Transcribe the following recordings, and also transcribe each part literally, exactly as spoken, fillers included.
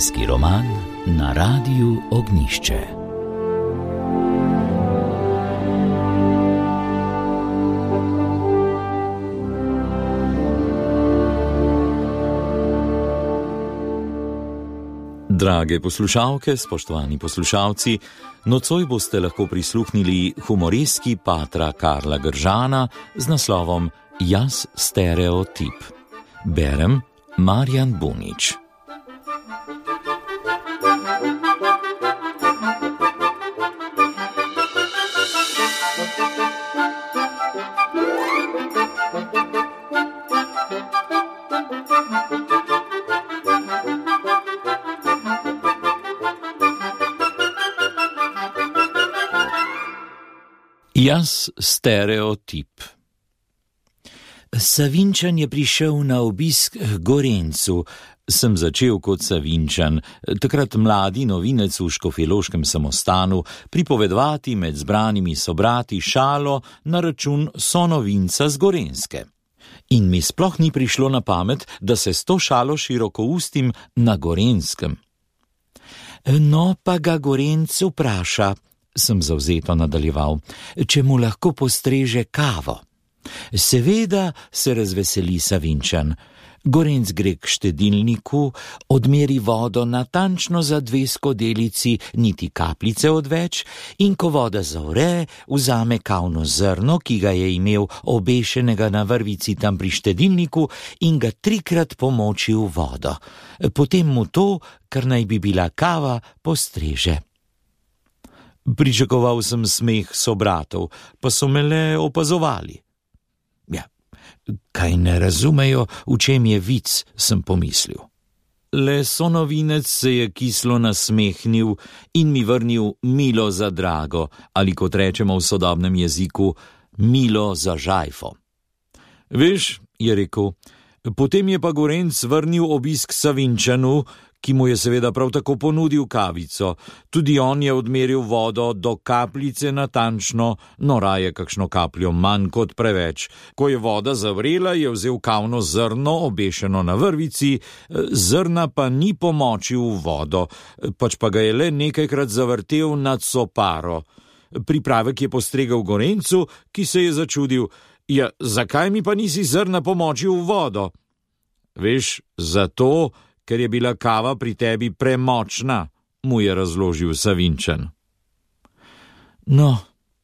Družinski roman na Radiu Ognjišče. Drage poslušalke, spoštovani poslušalci, nocoj boste lahko prisluhnili humoreski patra Karla Gržana z naslovom Jaz stereotip. Berem Marjan Bunič. Jaz stereotip. Savinjčan je prišel na obisk k Gorencu. Sem začel kot Savinjčan, takrat mladi novinec v škofjeloškem samostanu, pripovedovati med zbranimi sobrati šalo na račun sonovinca z Gorenjske. In mi sploh ni prišlo na pamet, da se s to šalo širokoustim na Gorenjskem. No, pa ga Gorenc vpraša, sem zavzeto nadaljeval, če mu lahko postreže kavo. Seveda se razveseli Savinjčan. Gorenc gre k štedilniku, odmeri vodo natančno za dve skodelici, niti kapljice odveč, in ko voda zavre, vzame kavno zrno, ki ga je imel obešenega na vrvici tam pri štedilniku, in ga trikrat pomoči v vodo. Potem mu to, kar naj bi bila kava, postreže. Pričakoval sem smeh sobratov, pa so me le opazovali. Ja, kaj ne razumejo, v čem je vic, sem pomislil. Le sonovinec se je kislo nasmehnil in mi vrnil milo za drago, ali kot rečemo v sodobnem jeziku, milo za žajfo. Veš, je rekel, potem je pa Gorenc vrnil obisk Savinjčanu, ki mu je seveda prav tako ponudil kavico. Tudi on je odmeril vodo do kapljice natančno, no raje kakšno kapljo manj kot preveč. Ko je voda zavrela, je vzel kavno zrno, obešeno na vrvici, zrna pa ni pomočil v vodo, pač pa ga je le nekajkrat zavrtel nad soparo. Pripravek je postregel Gorencu, ki se je začudil, ja, zakaj mi pa nisi zrna pomočil v vodo? Veš, zato, ker je bila kava pri tebi premočna, mu je razložil Savinjčan. No,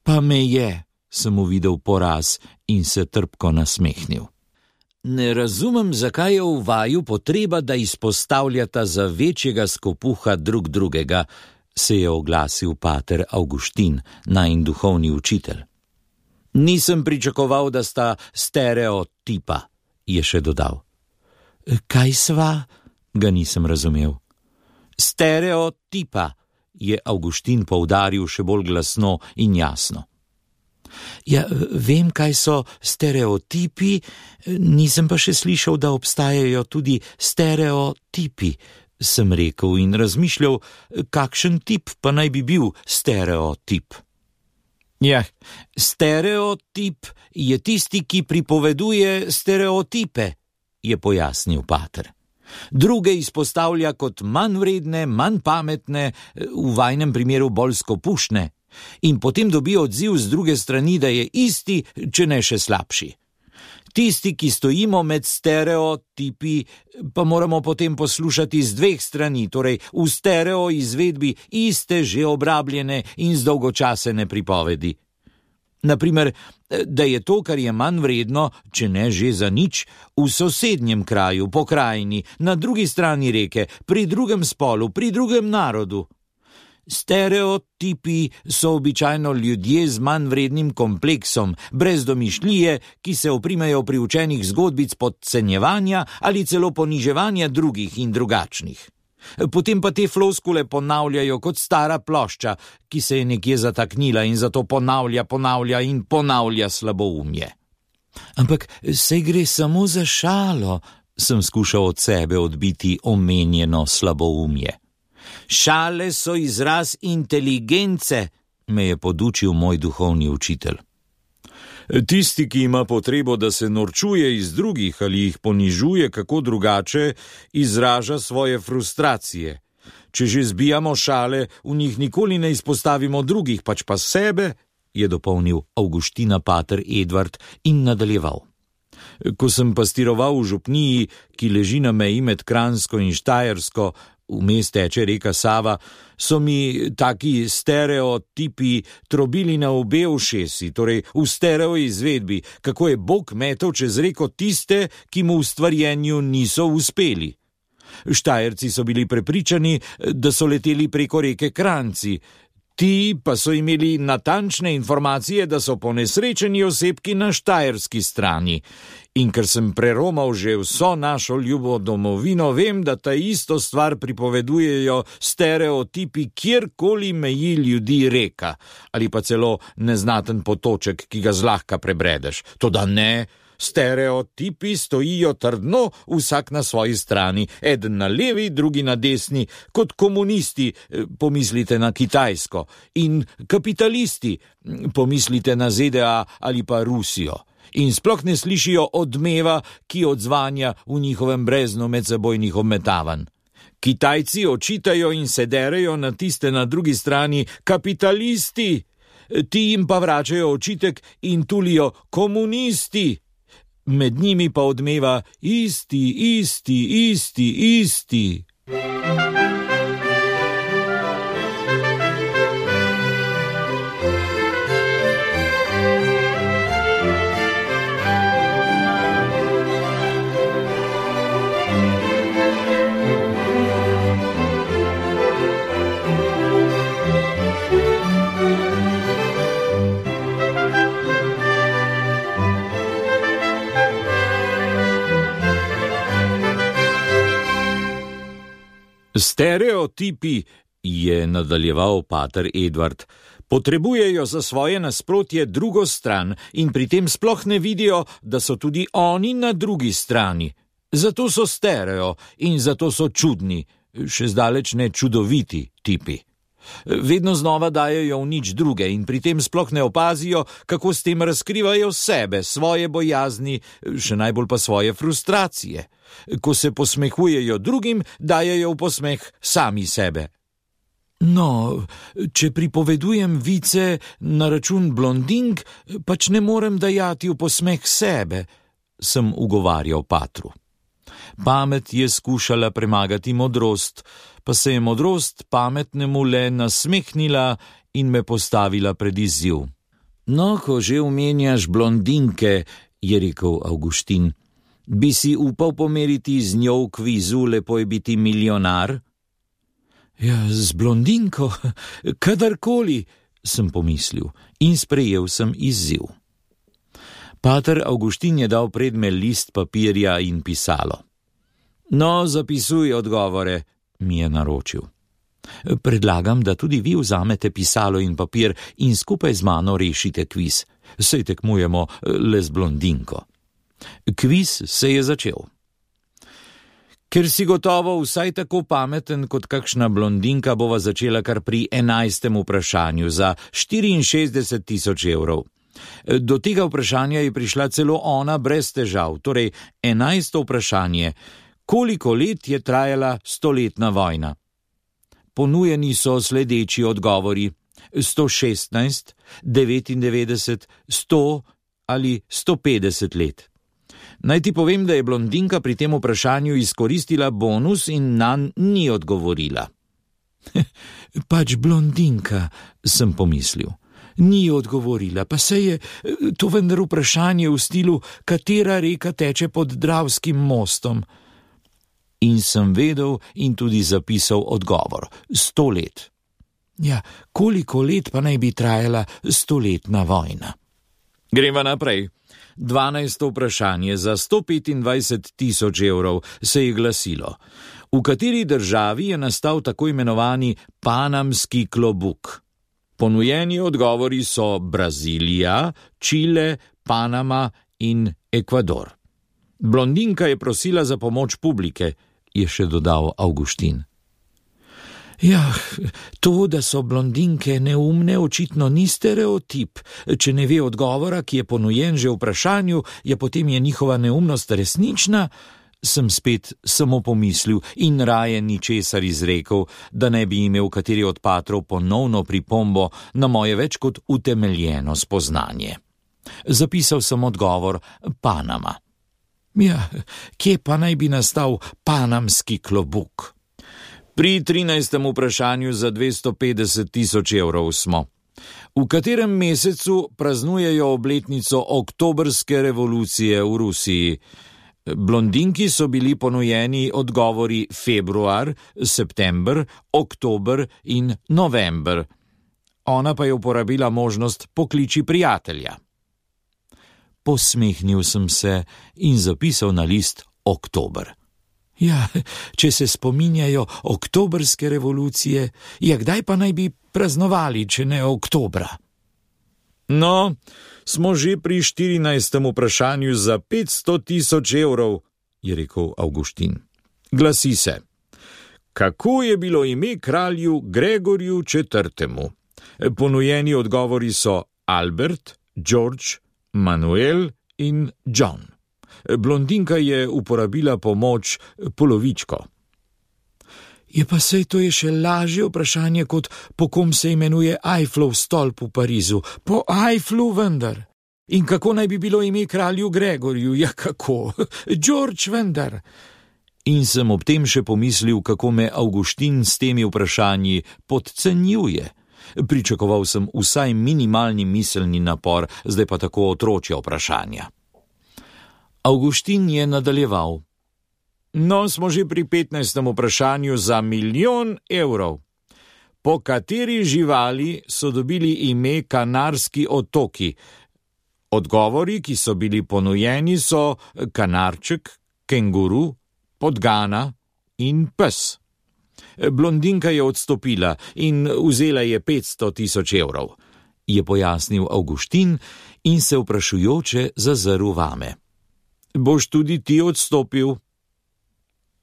pa me je, sem uvidel poraz in se trpko nasmehnil. Ne razumem, zakaj je v vaju potreba, da izpostavljata za večjega skopuha drug drugega, se je oglasil pater Avguštin, najin duhovni učitelj. Nisem pričakoval, da sta stereotipa, je še dodal. Kaj sva? Ga nisem razumel. Stereotipa, je Avguštin poudaril še bolj glasno in jasno. Ja, vem, kaj so stereotipi, nisem pa še slišal, da obstajajo tudi stereotipi, sem rekel in razmišljal, kakšen tip pa naj bi bil stereotip. Ja, stereotip je tisti, ki pripoveduje stereotipe, je pojasnil pater. Druge izpostavlja kot manj vredne, manj pametne, v vajnem primeru bolj skopušne, in potem dobi odziv z druge strani, da je isti, če ne še slabši. Tisti, ki stojimo med stereotipi, pa moramo potem poslušati z dveh strani, torej v stereo izvedbi iste že obrabljene in zdolgočasene pripovedi. Naprimer, da je to, kar je manj vredno, če ne že za nič, v sosednjem kraju, pokrajini, na drugi strani reke, pri drugem spolu, pri drugem narodu. Stereotipi so običajno ljudje z manj vrednim kompleksom, brez domišljije, ki se oprimejo pri učenih zgodbic podcenjevanja ali celo poniževanja drugih in drugačnih. Potem pa te floskule ponavljajo kot stara plošča, ki se je nekje zataknila in zato ponavlja, ponavlja in ponavlja slaboumje. Ampak saj gre samo za šalo, sem skušal od sebe odbiti omenjeno slaboumje. Šale so izraz inteligence, me je podučil moj duhovni učitelj. Tisti, ki ima potrebo, da se norčuje iz drugih ali jih ponižuje kako drugače, izraža svoje frustracije, Če že zbijamo šale, v njih nikoli ne izpostavimo drugih, pač pa sebe, je dopolnil Avguština pater Edvard in nadaljeval. Ko sem pastiroval v župniji, ki leži na meji med Kranjsko in Štajersko, vmes teče reka Sava, so mi taki stereotipi trobili na obe ušesi, torej v stereo izvedbi, kako je Bog metal čez reko tiste, ki mu v stvarjenju niso uspeli. Štajerci so bili prepričani, da so leteli preko reke Kranjci, ti pa so imeli natančne informacije, da so ponesrečeni osebki na štajerski strani. In ker sem preromal že vso našo ljubo domovino, vem, da ta isto stvar pripovedujejo stereotipi, kjerkoli meji ljudi reka, ali pa celo neznaten potoček, ki ga zlahka prebredeš. Toda ne, stereotipi stojijo trdno, vsak na svoji strani, eden na levi, drugi na desni, kot komunisti, pomislite na Kitajsko, in kapitalisti, pomislite na Z D A ali pa Rusijo. In sploh ne slišijo odmeva, ki odzvanja v njihovem breznu medsebojnih obmetavanj. Kitajci očitajo in se derejo na tiste na drugi strani kapitalisti, ti jim pa vračajo očitek in tulijo komunisti. Med njimi pa odmeva isti, isti, isti, isti. Stereotipi, je nadaljeval pater Edvard, potrebujejo za svoje nasprotje drugo stran in pri tem sploh ne vidijo, da so tudi oni na drugi strani. Zato so stereo in zato so čudni, še zdaleč ne čudoviti tipi. Vedno znova dajejo v nič druge in pri tem sploh ne opazijo, kako s tem razkrivajo sebe, svoje bojazni, še najbolj pa svoje frustracije. Ko se posmehujejo drugim, dajejo v posmeh sami sebe. No, če pripovedujem vice na račun blondink, pač ne morem dajati v posmeh sebe, sem ugovarjal patru. Pamet je skušala premagati modrost, pa se je modrost pametnemu le nasmehnila in me postavila pred izziv. No, ko že omenjaš blondinke, je rekel Avguštin, bi si upal pomeriti z njo v kvizu Lepo je biti milijonar? Ja, z blondinko, kadarkoli, sem pomislil in sprejel sem izziv. Pater Avguštin je dal predme list papirja in pisalo. No, zapisuj odgovore, mi je naročil. Predlagam, da tudi vi vzamete pisalo in papir in skupaj z mano rešite kviz. Saj tekmujemo le z blondinko. Kviz se je začel. Ker si gotovo vsaj tako pameten kot kakšna blondinka, bova začela kar pri enajstem vprašanju za štiriinšestdeset tisoč evrov. Do tega vprašanja je prišla celo ona brez težav, torej enajsto vprašanje. Koliko let je trajala stoletna vojna? Ponujeni so sledeči odgovori: sto šestnajst, devetindevetdeset, sto ali sto petdeset let. Naj ti povem, da je blondinka pri tem vprašanju izkoristila bonus in nanj ni odgovorila. Pač blondinka, sem pomislil. Ni odgovorila, pa se je to vendar vprašanje v stilu, katera reka teče pod Dravskim mostom. In sem vedel in tudi zapisal odgovor. Sto let. Ja, koliko let pa naj bi trajala stoletna vojna? Greva naprej. Dvanajsto vprašanje za sto petindvajset tisoč evrov se je glasilo. V kateri državi je nastal tako imenovani panamski klobuk? Ponujeni odgovori so Brazilija, Čile, Panama in Ekvador. Blondinka je prosila za pomoč publike, je še dodal Avguštin. Ja, to, da so blondinke neumne, očitno ni stereotip. Če ne ve odgovora, ki je ponujen že v vprašanju, je potem je njihova neumnost resnična, sem spet samo pomislil in raje ničesar izrekel, da ne bi imel kateri od patrov ponovno pripombo na moje več kot utemeljeno spoznanje. Zapisal sem odgovor Panama. Ja, kje pa naj bi nastal panamski klobuk? Pri trinajstem vprašanju za dvesto petdeset tisoč evrov smo. V katerem mesecu praznujejo obletnico oktobrske revolucije v Rusiji? Blondinki so bili ponujeni odgovori februar, september, oktober in november. Ona pa je uporabila možnost pokliči prijatelja. Posmehnil sem se in zapisal na list oktober. Ja, če se spominjajo oktobrske revolucije, ja, kdaj pa naj bi praznovali, če ne oktobra? No, smo že pri štirinajstem vprašanju za petsto tisoč evrov, je rekel Avguštin. Glasi se: kako je bilo ime kralju Gregorju četrtemu? Ponujeni odgovori so Albert, George, Manuel in John. Blondinka je uporabila pomoč polovičko. Je pa sej to je še lažje vprašanje, kot po kom se imenuje Eiffelov stolp v Parizu. Po Eifflu vendar. In kako naj bi bilo ime kralju Gregorju? Ja, kako? George vendar. In sem ob tem še pomislil, kako me Avguštin s temi vprašanji podcenjuje. Pričakoval sem vsaj minimalni miselni napor, zdaj pa tako otročja vprašanja. Avguštin je nadaljeval. No, smo že pri petnajstem vprašanju za milijon evrov. Po kateri živali so dobili ime Kanarski otoki? Odgovori, ki so bili ponujeni, so kanarček, kenguru, podgana in pes. Blondinka je odstopila in vzela je petsto tisoč evrov, je pojasnil Avguštin in se vprašujoče zazrl vame. Boš tudi ti odstopil?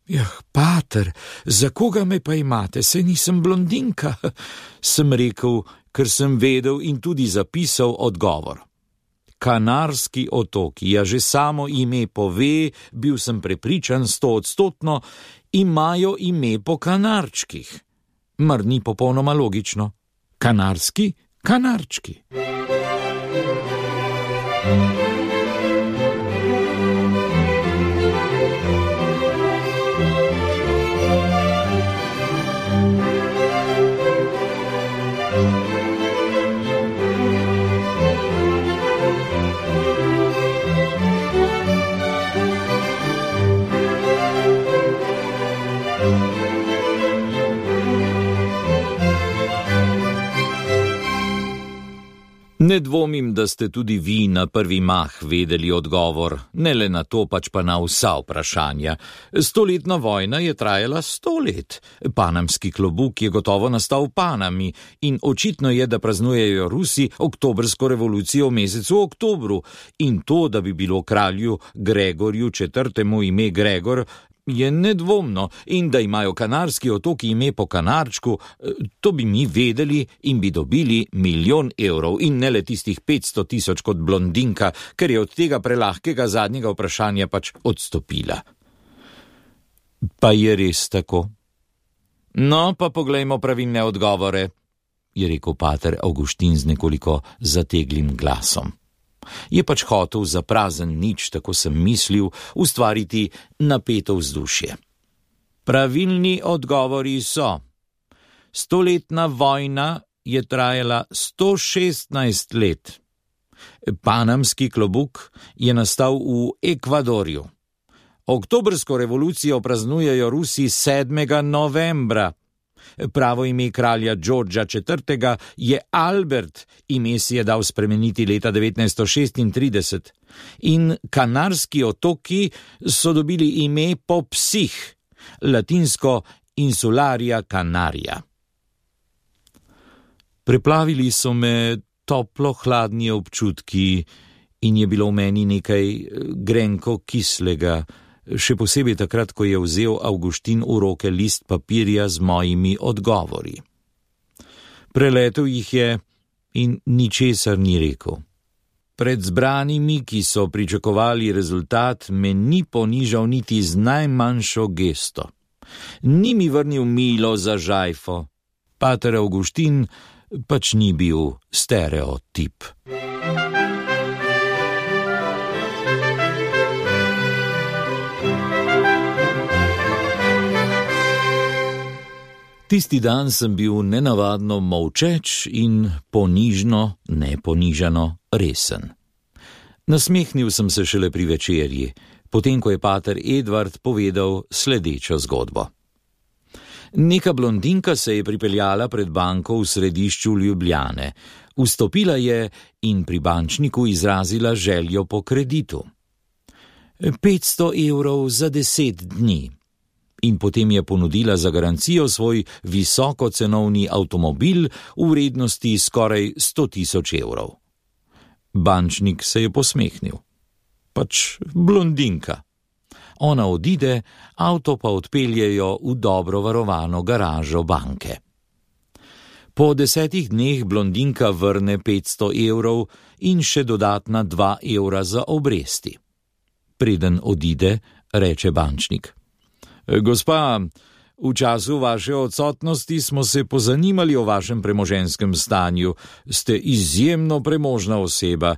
Jah, pater, za koga me pa imate, saj nisem blondinka, sem rekel, ker sem vedel in tudi zapisal odgovor. Kanarski otoki, ja že samo ime pove, bil sem prepričan stoodstotno, imajo ime po kanarčkih. Mar ni popolnoma logično? Kanarski, kanarčki. Ne dvomim, da ste tudi vi na prvi mah vedeli odgovor, ne le na to, pač pa na vsa vprašanja. Stoletna vojna je trajala sto let. Panamski klobuk je gotovo nastal v Panami in očitno je, da praznujejo Rusi oktobrsko revolucijo v mesecu oktobru. In to, da bi bilo kralju Gregorju četrtemu ime Gregor, je nedvomno, in da imajo Kanarski otoki ime po kanarčku, to bi mi vedeli in bi dobili milijon evrov in ne le tistih petsto tisoč kot blondinka, ker je od tega prelahkega zadnjega vprašanja pač odstopila. Pa je res tako? No, pa poglejmo pravilne odgovore, je rekel pater Avguštin z nekoliko zateglim glasom. Je pač hotel za prazen nič, tako sem mislil, ustvariti napeto vzdušje. Pravilni odgovori so: stoletna vojna je trajala sto šestnajst let. Panamski klobuk je nastal v Ekvadorju. Oktobrsko revolucijo praznujejo Rusi sedmega novembra. Pravo ime kralja Georgea četrtega je Albert, ime si je dal spremeniti leta devetnajststo šestintrideset. In Kanarski otoki so dobili ime po psih, latinsko Insularia Canaria. Preplavili so me toplo-hladni občutki in je bilo v meni nekaj grenko kislega, še posebej takrat, ko je vzel Avguštin v roke list papirja z mojimi odgovori. Preletel jih je in ničesar ni rekel. Pred zbranimi, ki so pričakovali rezultat, me ni ponižal niti z najmanjšo gesto. Ni mi vrnil milo za žajfo. Pater Avguštin pač ni bil stereotip. Tisti dan sem bil nenavadno molčeč in ponižno, neponižano resen. Nasmehnil sem se šele pri večerji, potem ko je pater Edvard povedal sledečo zgodbo. Neka blondinka se je pripeljala pred banko v središču Ljubljane, vstopila je in pri bančniku izrazila željo po kreditu. petsto evrov za deset dni. In potem je ponudila za garancijo svoj visokocenovni avtomobil v vrednosti skoraj sto tisoč evrov. Bančnik se je posmehnil. Pač blondinka. Ona odide, avto pa odpeljejo v dobro varovano garažo banke. Po desetih dneh blondinka vrne petsto evrov in še dodatna dva evra za obresti. Preden odide, reče bančnik: Gospa, v času vaše odsotnosti smo se pozanimali o vašem premoženskem stanju. Ste izjemno premožna oseba.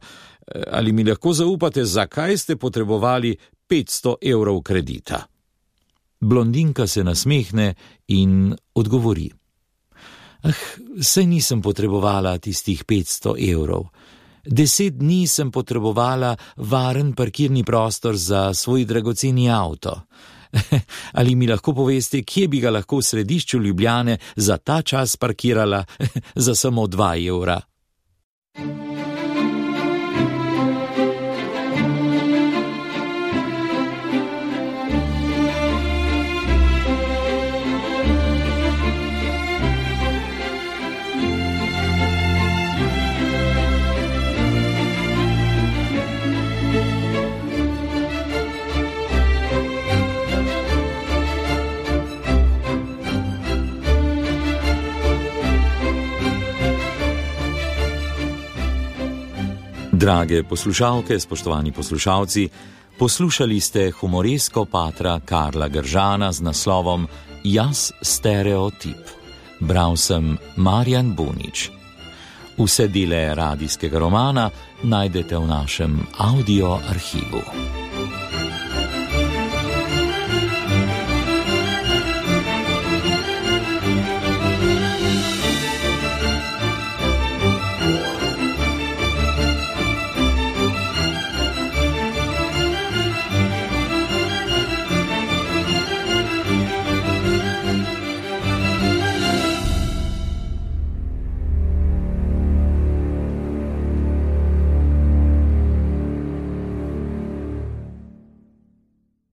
Ali mi lahko zaupate, zakaj ste potrebovali petsto evrov kredita? Blondinka se nasmehne in odgovori: Ah, saj nisem potrebovala tistih petsto evrov. Deset dni sem potrebovala varen parkirni prostor za svoj dragoceni avto. Ali mi lahko poveste, kje bi ga lahko v središču Ljubljane za ta čas parkirala za samo dva evra? Drage poslušalke, spoštovani poslušalci, poslušali ste humoresko patra Karla Gržana z naslovom Jaz stereotip. Bral sem Marjan Bunič. Vse dele radijskega romana najdete v našem audio arhivu.